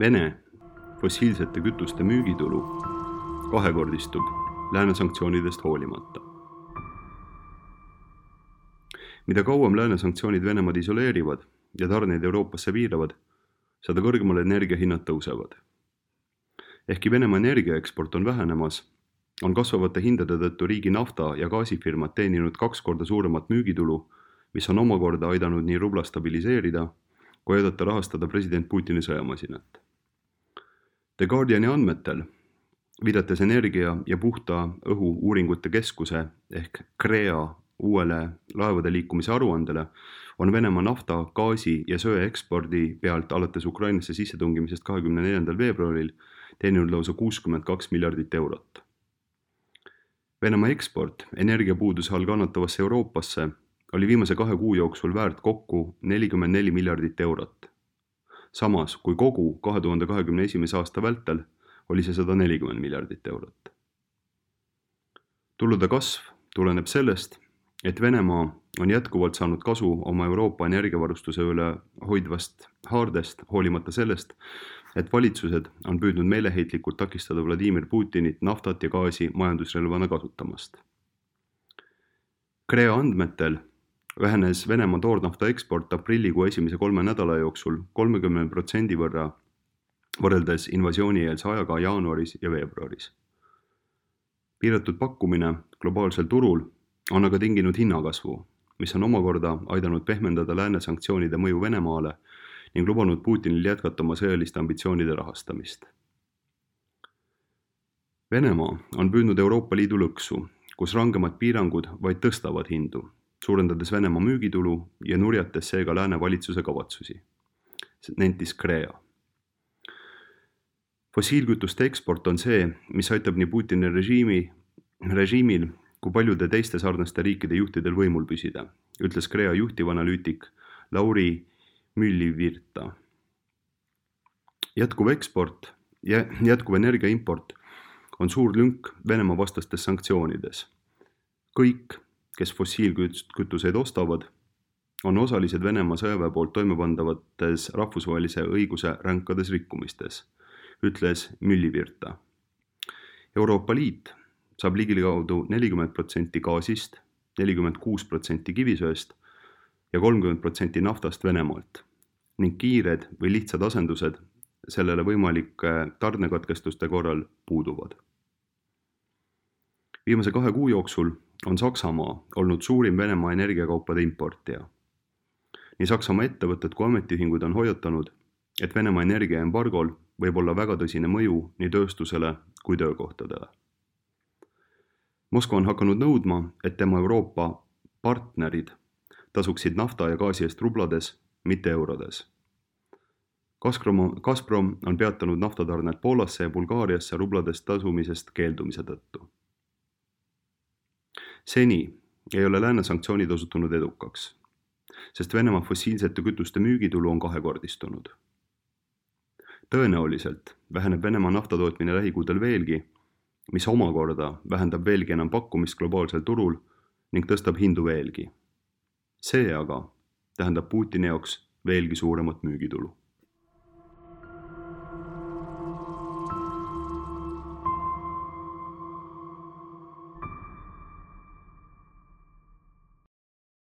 Vene fossiilsete kütuste müügitulu kahekordistub lääne sanktsioonidest hoolimata. Mida kauem lääne sanktsioonid Venemaad isoleerivad ja tarneid Euroopasse piiravad, seda kõrgemale energiahinnad tõusevad. Ehkki Venemaa energiaeksport on vähenemas, on kasvavate hindade tõttu riigi nafta- ja gaasifirmad teeninud 2 korda suuremat müügitulu, mis on omakorda aidanud nii rubla stabiliseerida, kui aidata rahastada president Putini sõjamasinat. The Guardiani andmetel, viidates energia ja puhta õhu uuringute keskuse ehk CREA uuele laevade liikumise aruandele, on Venemaa nafta, gaasi ja söe ekspordi pealt alates Ukrainasse sissetungimisest 24. veebruaril teeninud lausa 62 miljardit eurot. Venemaa eksport energiapuuduse all kannatavasse Euroopasse oli viimase 2 kuu jooksul väärt kokku 44 miljardit eurot. Samas kui kogu 2021. aasta vältel oli see 140 miljardit eurot. Tulude kasv tuleneb sellest, et Venemaa on jätkuvalt saanud kasu oma Euroopa energiavarustuse üle hoidvast haardest, hoolimata sellest, et valitsused on püüdnud meeleheitlikult takistada Vladimir Putinit naftat ja gaasi majandusrelvana kasutamast. CREA andmetel vähenes Venemaa toornafta eksport aprillikuu esimese 3 nädala jooksul 30% võrra võrreldes invasiooni-eelse ajaga jaanuaris ja veebruaris. Piiratud pakkumine globaalsel turul on aga tinginud hinnakasvu, mis on omakorda aidanud pehmendada lääne sanktsioonide mõju Venemaale ning lubanud Putinil jätkata oma sõjaliste ambitsioonide rahastamist. Venemaa on püüdnud Euroopa Liidu lõksu, kus rangemad piirangud vaid tõstavad hindu, suurendades Venemaa müügitulu ja nurjates seega lääne valitsuse kavatsusi, nentis CREA. Fossiilkütuste eksport on see, mis aitab nii Putini režiimil kui paljude teiste sarnaste riikide juhtidel võimul püsida, ütles CREA juhtivanalüütik Lauri Myllyvirta. Jätkuv energiaimport on suur lünk Venemaa vastastes sanktsioonides. Kõik, kes fossiilkütuseid ostavad, on osalised Venemaa sõjaväe poolt toimepandavates rahvusvahelise õiguse ränkades rikkumistes, ütles Myllyvirta. Euroopa Liit saab ligikaudu 40% gaasist, 46% kivisöest ja 30% naftast Venemaalt ning kiired või lihtsad asendused sellele võimalike tarnekatkestuste korral puuduvad. Viimase 2 kuu jooksul on Saksamaa olnud suurim Venemaa energiakaupade importija. Nii Saksamaa ettevõtted kui ametiühingud on hoiatanud, et Venemaa energiaembargol võib olla väga tõsine mõju nii tööstusele kui töökohtadele. Moskva on hakanud nõudma, et tema Euroopa partnerid tasuksid nafta ja gaasi eest rublades, mitte eurodes. Gazprom on peatanud naftatarned Poolasse ja Bulgaariasse rublades tasumisest keeldumise tõttu. Seni ei ole lääne sanktsioonid osutunud edukaks, sest Venemaa fossiilsete kütuste müügitulu on kahekordistunud. Tõenäoliselt väheneb Venemaa naftatootmine lähikuudel veelgi, mis omakorda vähendab veelgi enam pakkumist globaalsel turul ning tõstab hindu veelgi. See aga tähendab Putini jaoks veelgi suuremat müügitulu.